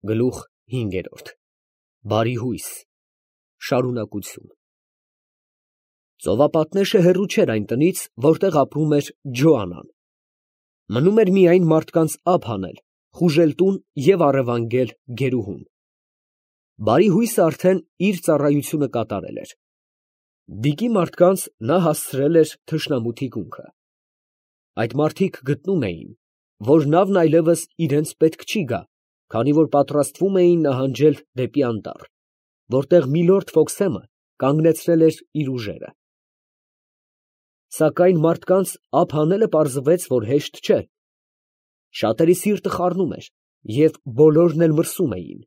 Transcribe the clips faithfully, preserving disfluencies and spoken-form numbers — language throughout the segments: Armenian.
Գլուխ հինգերորդ Բարի հույս, շարունակություն։ Ծովապատնեշը հեռու չէր այն տնից, որտեղ ապրում էր Ջոանան. մնում էր միայն մարդկանց ափ հանել, խուժել տուն և առևանգել գերուհուն։ Բարի հույսը արդեն իր ծառայությունը կատարել էր։ Դիկի մարդկանց նա հասցրել էր թշնամու թիկունքը։ Այդ մարդիկ գտնում էին, որ նավն այլևս իրենց պետք չի գա, քանի որ պատրաստվում էին նահանջել դեպի անտառ, որտեղ Միլորդ Ֆոքսեմը կանգնեցրել էր իր ուժերը։ Սակայն մարդկանց ափ հանելը պարզվեց, որ հեշտ չէ։ Շատերի սիրտը խառնում էր, և բոլորն էլ մրսում էին։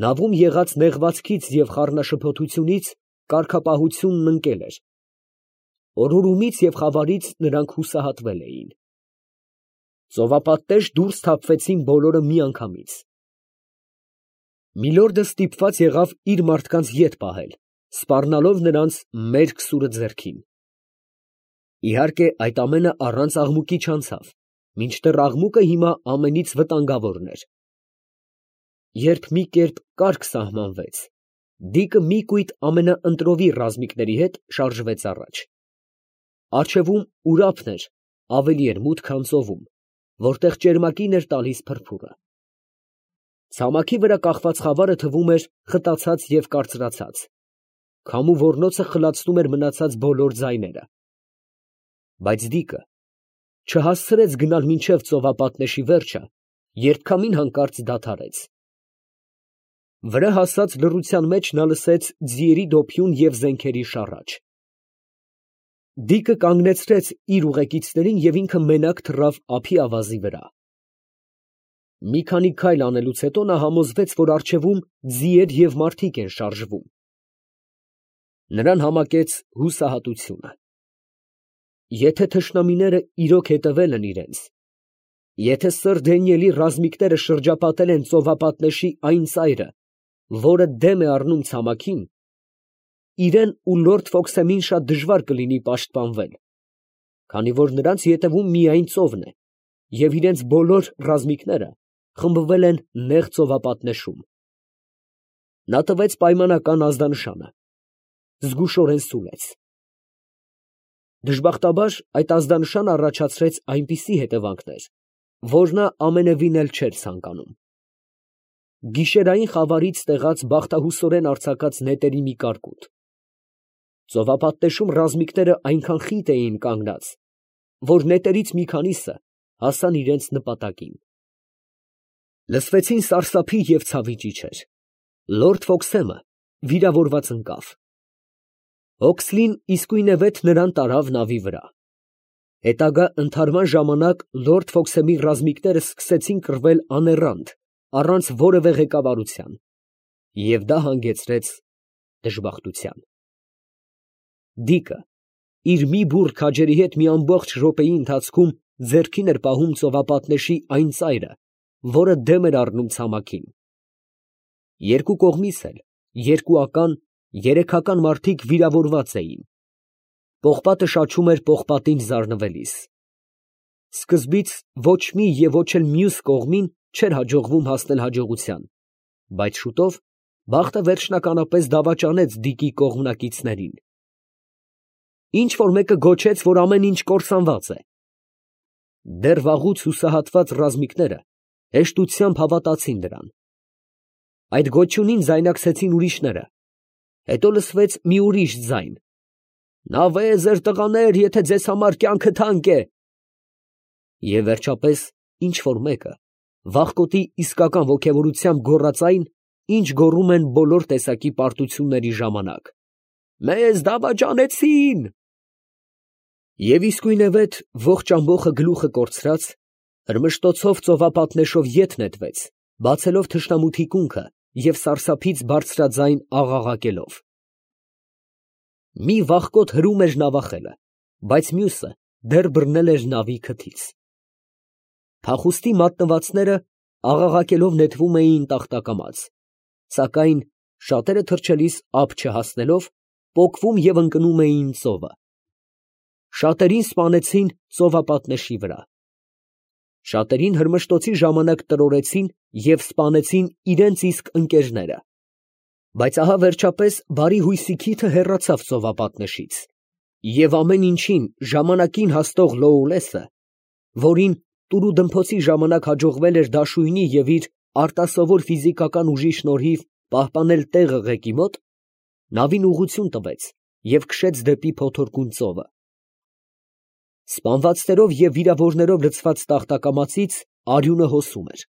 Նավում եղած նեղվածքից և խառնաշփոթությունից կարգապահությունն ընկել էր։ Օրորումից և խավարից նրանք հուսահատվել էին։ Ծովապատնեշ դուրս թափվեցին բոլորը միանգամից։ Միլորդը ստիպված եղավ իր մարդկանց ետ պահել, սպառնալով նրանց մերկ սուրը ձեռքին։ Իհարկե, այդ ամենը առանց աղմուկի չանցավ, մինչդեռ աղմուկը հիմա ամենից վտանգավորն էր։ Երբ մի կերպ կարգ սահմանվեց, Դիկը մի կույտ ամենաընտրովի ռազմիկների հետ շարժվեց առաջ։ Առջևում Ուրափն էր, ավելի էր մութ, քան ծովում, որտեղ ճերմակին էր տալիս փրփուրը։ Ցամաքի վրա կախված խավարը թվում էր խտացած և կարծրացած։ Քամու ոռնոցը խլացնում էր մնացած բոլոր ձայները։ Բայց Դիկը չհասցրեց գնալ մինչև ծովապատնեշի վերջը, երբքամին հանկարծ դադարեց։ Վրա հասած լռության մեջ նա լսեց ձիերի դոփյուն և զենքերի շառաչ։ Դիկը կանգնեցրեց իր ուղեկիցներին և ինքը մենակ թռավ ափի ավազի վրա։ Մի քանի քայլ անելուց հետո նա համոզվեց, որ առջևում ձիեր և մարդիկ են շարժվում։ Նրան համակեց հուսահատությունը։ Եթե թշնամիները իրոք հետևել են իրենց, եթե սըր Դանիելի ռազմիկները շրջապատել են ծովապատնեշի այն ծայրը, որը դեմ է առնում ցամաքին, իրան ու լորդ Ֆոքսեմին շատ դժվար կլինի պաշտպանվել, քանի որ նրանց ետևում միայն ծովն է, և իրենց բոլոր ռազմիկները խմբվել են նեղ ծովապատնեշում։ Նա տվեց պայմանական ազդանշանը, զգուշորեն սուլեց։ Դժբախտաբար այդ ազդանշանը առաջացրեց այնպիսի հետևանքներ, որ նա ամենևին էլ չէր ցանկանում։ Գիշերային խավարից տեղած բախտահուսորեն արձակած նետերի մի կարկուտ։ Ծովապատնեշում ռազմիկները այնքան խիտ էին կանգնած, որ նետերից մի քանիսը հասան իրենց նպատակին։ Լսվեցին սարսափի և ցավի ճիչեր։ Լորդ Ֆոքսեմը վիրավորված ընկավ։ Օքսլին իսկույնևեթ նրան տարավ նավի վրա։ Հետագա ընդհարման ժամանակ լորդ Ֆոքսեմի ռազմիկները սկսեցին կռվել աներանդ, առանց որևէ ղեկավարության, և դա հանգեցրեց դժբախտության։ Դիկը իր մի բուռ քաջերի հետ մի ամբողջ րոպեի ընթացքում ձեռքին էր պահում ծովապատնեշի այն ծայրը, որը դեմ էր առնում ցամաքին։ Երկու կողմից էլ երկուական, երեքական մարդիկ վիրավորված էին։ Պողպատը շաչում էր պողպատին զարնվելիս։ Սկզբից ոչ մի և ոչ էլ մյուս կողմին չէր հաջողվում հասնել հաջողության, բայց շուտով բախտը վերջնականապես դավաճանեց Դիկի կողմնակիցներին։ Ինչ֊որ մեկը գոչեց, որ ամեն ինչ կործանված է։ Դեռ վաղուց հուսահատված ռազմիկները հեշտությամբ հավատացին դրան։ Այդ գոչյունին ձայնակցեցին ուրիշները, հետո լսվեց մի ուրիշ ձայն. «Նավեզեր տղաներ, եթե ձեզ համար կյանքը թանկ է»։ Եվ վերջապես ինչ֊որ մեկը վախկոտի իսկական ոգևորությամբ գոռաց այն, ինչ գոռում են բոլոր տեսակի պարտությունների ժամանակ. «Մեզ դավաճանեցին»։ Եվ իսկույնևեթ ողջ ամբոխը գլուխը կորցրած, հրմշտոցով ծովապատնեշով ետ նետվեց, բացելով թշնամու թիկունքը և սարսափից բարձրաձայն աղաղակելով։ Մի վախկոտ հրում էր նավախելը, բայց մյուսը դեռ բռնել էր նավի քթից։ Փախուստի մատնվածները աղաղակելով նետվում էին տախտակամած, սակայն շատերը թռչելիս ափ չհասնելով, պոկվում և ընկնում էին ծովը։ Շատերին սպանեցին ծովապատնեշի վրա։ Շատերին հրմշտոցի ժամանակ տրորեցին և սպանեցին իրենց իսկ ընկերները, բայց ահա վերջապես բարի հույսի քիթը հեռացավ ծովապատնեշից, և ամեն ինչին ժամանակին հասնող Լոուլեսը, որին տուրուդմփոցի ժամանակ հաջողվել էր դաշույնի և իր արտասովոր ֆիզիկական ուժի շնորհիվ պահպանել տեղը ղեկի մոտ, նավին ուղղություն տվեց և քշեց դեպի փոթորկուն ծովը։ Սպանվածներով և վիրավորներով լցված տախտակամածից արյունը հոսում էր։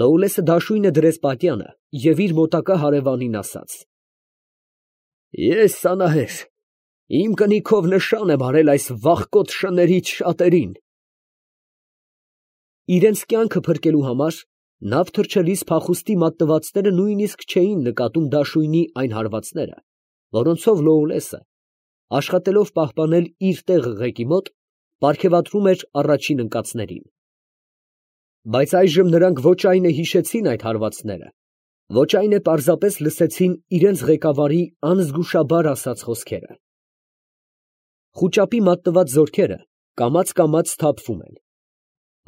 Լոուլեսը դաշույնը դրեց պատյանը և իր մոտակա հարևանին ասաց. «Ես անահեր, իմ կնիքով նշան եմ արել այս վախկոտ շներից շատերին»։ Իրենց կյանքը փրկելու համար նավ թռչելիս փախուստի մատնվածները նույնիսկ չէին նկատում դաշույնի այն հարվածները, որոնցով Լոուլեսը, աշխատելով պահպանել իր տեղը ղեկի մոտ, պարգևատրում էր առաջին ընկածներին։ Բայց այժմ նրանք ոչ այն է հիշեցին այդ հարվածները, ոչ այն է պարզապես լսեցին իրենց ղեկավարի անզգուշաբար ասած խոսքերը։ Խուճապի մատնված զորքերը կամաց֊կամաց սթափվում են։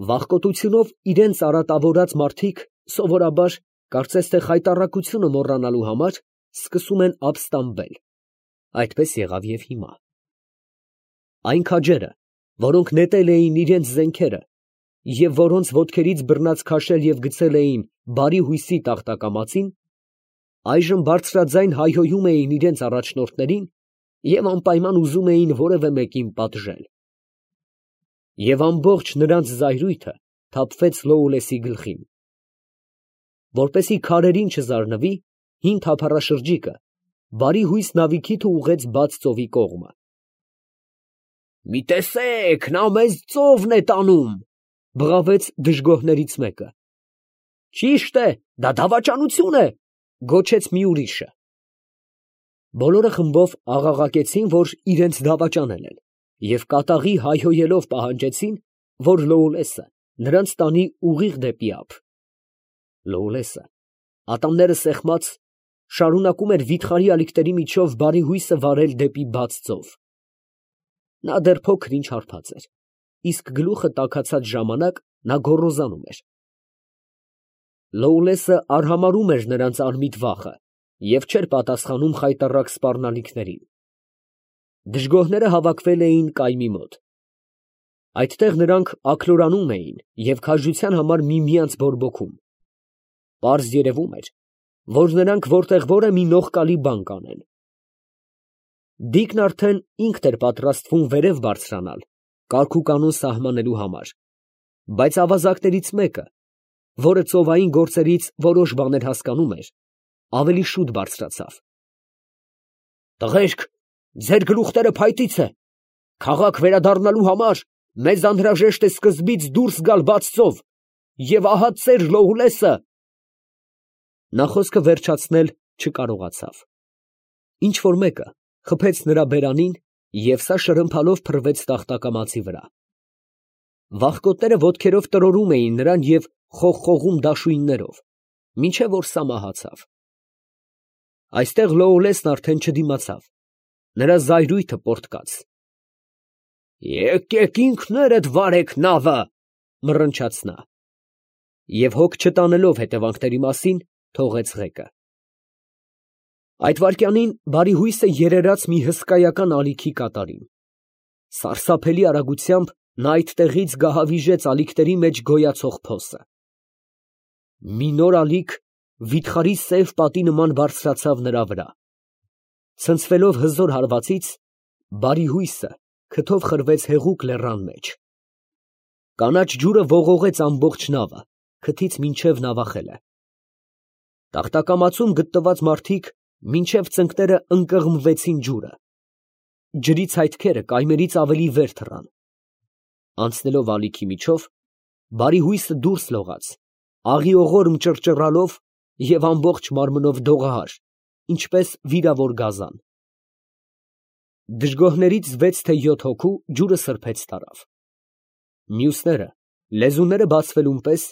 Վախկոտությունով իրենց արատավորած մարդիկ սովորաբար, կարծես թե խայտառակությունը մոռանալու համար, սկսում են ապստամբել. այդպես եղավ և հիմա։ Այն քաջերը, որոնք նետել էին իրենց զենքերը և որոնց ոտքերից բռնած քաշել և գցել էին բարի հույսի տախտակամածին, այժմ բարձրաձայն հայհոյում էին իրենց առաջնորդներին և անպայման ուզում էին որևէ մեկին պատժել։ Եվ ամբողջ նրանց զայրույթը թափվեց Լոուլեսի գլխին։ Որպեսզի քարերին չզարնվի, հին թափառաշրջիկը բարի հույս նավի քիթը ուղղեց բաց ծովի կողմը։ «Մի տեսե՛ք, նա մեզ ծովն է տանում», ֊ բղավեց դժգոհներից մեկը։ «Ճիշտ է, դա դավաճանություն է», ֊ գոչեց մի ուրիշը։ Բոլորը խմբով աղաղակեցին, որ իրենց դավաճանել են, և կատաղի հայհոյելով պահանջեցին, որ Լոուլեսը նրանց տանի ուղիղ դեպի ափ։ Լոուլեսը, ատամները սեղմած, շարունակում էր վիթխարի ալիքների միջով բարի հույսը վարել դեպի բաց ծով։ Նա դեռ փոքր ինչ հարբած էր, իսկ գլուխը տաքացած ժամանակ նա գոռոզանում էր։ Լոուլեսը արհամարհում էր նրանց անմիտ վախը և չէր պատասխանում խայտառակ սպառնալիքներին։ Դժգոհները հավաքվել էին կայմի մոտ։ Այդտեղ նրանք աքլորանում էին և քաջության համար միմյանց բորբոքում։ Պարզ երևում էր, որ նրանք որտեղ որ է մի նողկալի բան կանեն։ Դիկն արդեն ինքն էր պատրաստվում վերև բարձրանալ, կարգուկանոն սահմանելու համար, բայց ավազակներից մեկը, որը ծովային գործերից որոշ բաներ հասկանում էր, ավելի շուտ բարձրացավ։ «Տղերք, ձեր գլուխները փայտից է, քաղաք վերադառնալու համար մեզ անհրաժեշտ է սկզբից դուրս գալ բաց ծով, և ահա ծեր Լոուլեսը»։ Նա խոսքը վերջացնել չկարողացավ։ Ինչ֊որ մեկը խփեց նրա բերանին, և սա շրմփալով փռվեց տախտակամածի վրա։ Վախկոտները ոտքերով տրորում էին նրան և խողխողում դաշույններով, մինչև որ սա մահացավ։ Այստեղ Լոուլեսն արդեն չդիմացավ, նրա զայրույթը պոռթկաց։ «Եկեք ինքներդ վարեք նավը», ֊ մռնչաց նա, և հոգ չտանելով հետևանքների մասին, թողեց ղեկը։ Այդ վայրկյանին բարի հույսը երերաց մի հսկայական ալիքի կատարին։ Սարսափելի արագությամբ նա այդտեղից գահավիժեց ալիքների մեջ գոյացող փոսը։ Մի նոր ալիք վիթխարի սև պատի նման բարձրացավ նրա վրա։ Ցնցվելով հզոր հարվածից, բարի հույսը քթով խրվեց հեղուկ լեռան մեջ։ Կանաչ ջուրը ողողեց ամբողջ նավը, քթից մինչև նավախելը։ Տախտակամածում գտնված մարդիկ մինչև ծնկները ընկղմվեցին ջուրը։ Ջրի ցայտքերը կայմերից ավելի վեր թռան։ Անցնելով ալիքի միջով, բարի հույսը դուրս լողաց, աղիողորմ ճռճռալով և ամբողջ մարմնով դողահար, ինչպես վիրավոր գազան։ Դժգոհներից վեց թե յոթ հոգու ջուրը սրբեց տարավ։ Մյուսները, լեզուները բացվելուն պես,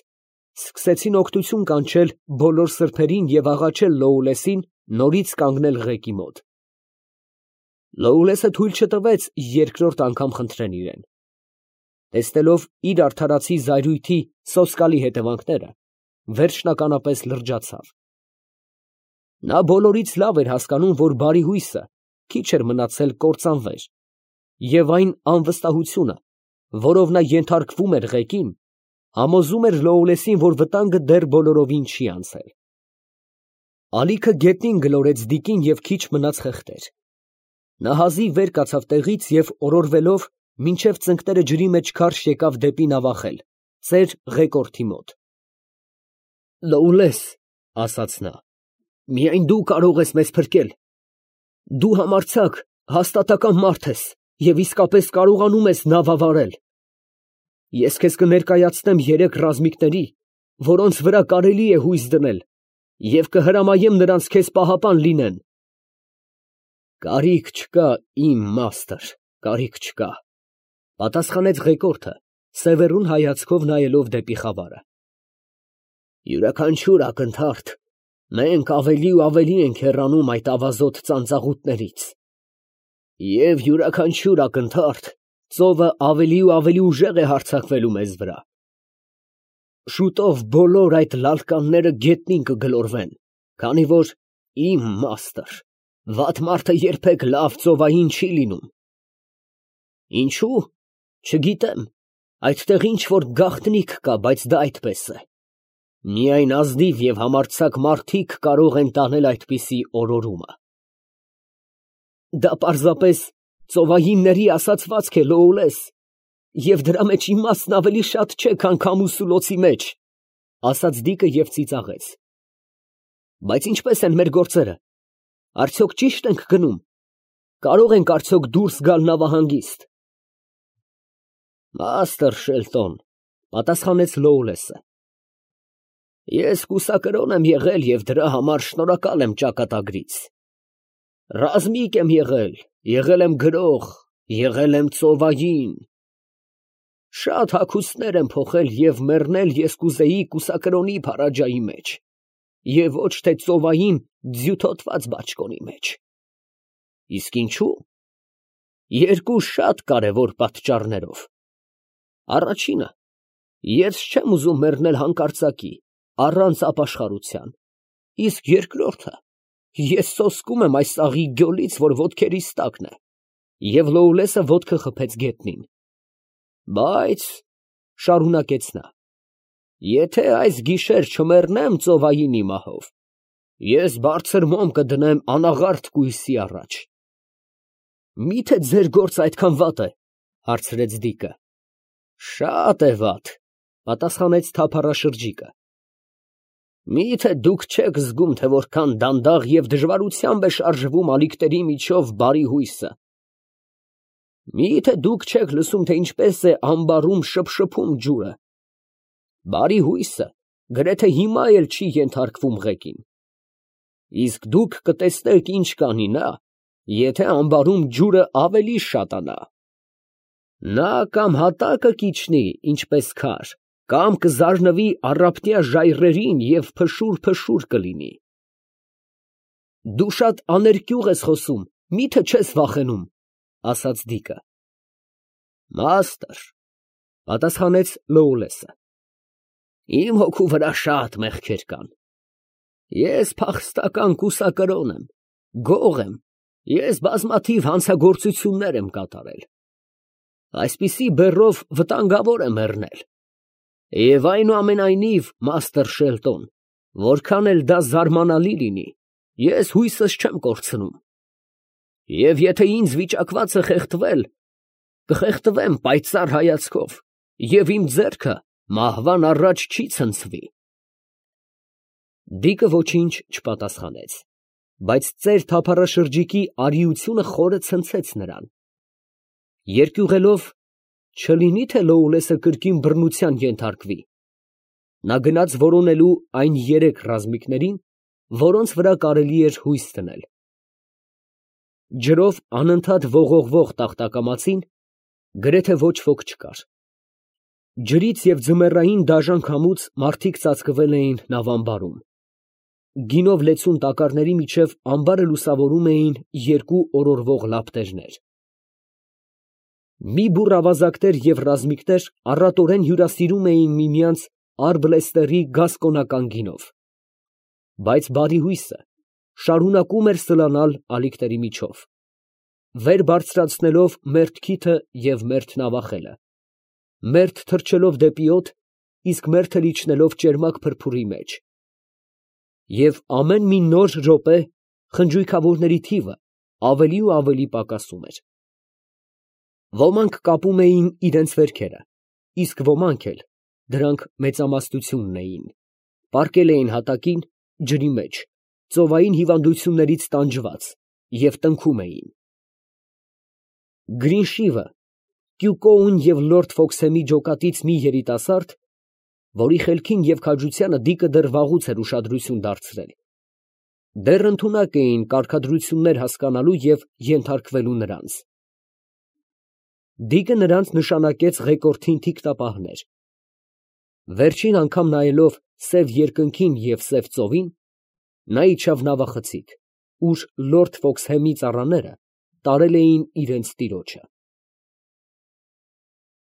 սկսեցին օգնություն կանչել բոլոր սրբերին և աղաչել Լոուլեսին նորից կանգնել ղեկի մոտ։ Լոուլեսը թույլ չտվեց երկրորդ անգամ խնդրեն իրեն։ տեսնելով իր արդարացի զայրույթի սոսկալի հետևանքները, վերջնականապես լրջացավ։ Նա բոլորից լավ էր հասկանում, որ բարի հույսը քիչ էր մնացել կործանվեր, և այն անվստահությունը, որով նա ենթարկվում էր ղեկին, համոզում էր Լոուլեսին, որ վտանգը դեռ բոլորովին չի անցել։ Ալիքը գետնին գլորեց դիկին և քիչ մնաց խեղդեր։ Նա հազիվ վեր կացավ տեղից և օրորվելով մինչև ծնկները ջրի մեջ քարշ եկավ դեպի նավախել, ծեր Ղեկորդի մոտ։ «Լոուլես, ֊ ասաց նա, ֊ միայն դու կարող ես մեզ փրկել. դու համարձակ, հաստատակամ մարդ ես և իսկապես կարողանում ես նավը վարել։ Ես քեզ կներկայացնեմ երեք ռազմիկների, որոնց վրա կարելի է հույս դնել, և կհրամայեմ նրանց քեզ պահապան լինեն»։ «Կարիք չկա, իմ մաստր, կարիք չկա, ֊ պատասխանեց Ղեկորդը, սևեռուն հայացքով նայելով դեպի խավարը։ Յուրաքանչյուր ակնթարթ մենք ավելի ու ավելի ենք հեռանում այդ ավազոտ ծանծաղուտներից, և յուրաքանչյուր ակնթարթ ծովը ավելի ու ավելի ուժեղ է հարձակվելու մեզ վրա։ Շուտով բոլոր այդ լալկանները գետնին կգլորվեն, քանի որ, իմ մաստր, վատ մարդը երբեք լավ ծովային չի լինում։ Ինչո՞ւ, չգիտեմ, այդտեղ ինչ֊որ գաղտնիք կա, բայց դա այդպես է։ Միայն ազնիվ և համարձակ մարդիկ կարող են տանել այդպիսի օրորումը։ Դա պարզապես ծովայինների ասացվածք է, Լոուլես, և դրա մեջ իմաստն ավելի շատ չէ, քան քամու սուլոցի մեջ, ֊ ասաց դիկը և ծիծաղեց։ Բայց ինչպե՞ս են մեր գործերը, արդյոք ճի՞շտ ենք գնում, կարող ենք արդյոք դուրս գալ նավահանգիստ։ Մաստր Շելտոն, ֊ պատասխանեց Լոուլեսը, ես կուսակրոն եմ եղել և դրա համար շնորհակալ եմ ճակատագրից։ Ռազմիկ եմ եղել, եղել եմ գրող, եղել եմ ծովային։ Շատ հագուստներ եմ փոխել և մեռնել ես կուզեի կուսակրոնի փարաջայի մեջ, և ոչ թե ծովային ձյութոտված բաճկոնի մեջ։ Իսկ ինչո՞ւ։ Երկու շատ կարևոր պատճառներով։ Առաջինը, ես չեմ ուզում մեռնել հանկարծակի, առանց ապաշխարության, իսկ երկրորդը, ես սոսկում եմ այս աղի գյոլից, որ ոտքերիս տակն է, և Լոուլեսը ոտքը խփեց գետնին։ Բայց, ֊ շարունակեց նա, ֊ եթե այս գիշեր չմեռնեմ ծովայինի մահով, ես բարձր մոմ կդնեմ անաղարտ կույսի առաջ։ Մի՞թե ձեր գործը այդքան վատ է, ֊ հարցրեց դիկը։ Շատ է վատ, ֊ պատասխանեց թափառաշրջիկը։ Մի՞թե դուք չեք զգում, թե որքան դանդաղ և դժվարությամբ է շարժվում ալիքների միջով բարի հույսը։ Մի՞թե դուք չեք լսում, թե ինչպես է ամբարում շփշփում ջուրը։ Բարի հույսը գրեթե հիմա էլ չի ենթարկվում ղեկին։ Իսկ դուք կտեսնեք ինչ կանի նա, եթե ամբարում ջուրը ավելի շատանա։ Նա կամ հատակը կիջնի, ինչպես քար, կամ կզարնվի առափնյա ժայռերին և փշուր֊փշուր կլինի։ Դու շատ աներկյուղ ես խոսում, մի՞թե չես վախենում, ֊ ասաց դիկը։ Մաստր, ֊ պատասխանեց Լոուլեսը, իմ հոգու վրա շատ մեղքեր կան։ Ես փախստական կուսակրոն եմ, գող եմ, ես բազմաթիվ հանցագործություններ եմ կատարել։ Այսպիսի բեռով վտանգավոր է մեռնել։ Եվ այնուամենայնիվ, մաստր Շելտոն, որքան էլ դա զարմանալի լինի, ես հույսս չեմ կորցնում։ Եվ եթե ինձ վիճակված է խեղդվել, կխեղդվեմ պայծառ հայացքով, և իմ ձեռքը մահվան առաջ չի ցնցվի։ Դիկը ոչինչ չպատասխանեց, բայց ծեր թափառաշրջիկի արիությունը խորը ցնցեց նրան։ Երկյուղելով, չլինի թե Լոուլեսը կրկին բռնության ենթարկվի, նա գնաց որոնելու այն երեք ռազմիկներին, որոնց վրա կարելի էր հույս դնել։ Ջրով անընդհատ ողողվող տախտակամածին գրեթե ոչ ոք չկար։ Ջրից և ձմեռային դաժան քամուց մարդիկ ծածկվել էին նավամբարում։ Գինով լեցուն տակառների միջև ամբարը լուսավորում էին երկու օրորվող լապտերներ։ Մի բուռ ավազակներ և ռազմիկներ առատորեն հյուրասիրում էին միմյանց Արբլեստերի գասկոնական գինով, բայց բարի հույսը շարունակում էր սլանալ ալիքների միջով, վեր բարձրացնելով մերթ քիթը և մերթ նավախելը, մերթ թռչելով դեպի օդ, իսկ մերթը իջնելով ճերմակ փրփուրի մեջ, և ամեն մի նոր րոպե խնջույքավորների թիվը ավելի ու ավելի պակասում էր։ Ոմանք կապում էին իրենց վերքերը, իսկ ոմանք էլ (դրանք մեծամասնությունն էին) պառկել էին հատակին, ջրի մեջ, ծովային հիվանդություններից տանջված, և տնքում էին։ Գրինշիվը, Կյուկոուն և լորդ Ֆոքսհեմի ջոկատից մի երիտասարդ, որի խելքին և քաջությանը Դիկը դեռ վաղուց էր ուշադրություն դարձրել, դեռ ընդունակ էին կարգադրություններ հասկանալու և ենթարկվելու նրանց։ Դիկը նրանց նշանակեց ղեկորդին թիկնապահներ։ Վերջին անգամ նայելով սև երկնքին և սև ծովին, նա իջավ նավախցիկ, ուր լորդ Ֆոքսհեմի ծառաները տարել էին իրենց տիրոջը։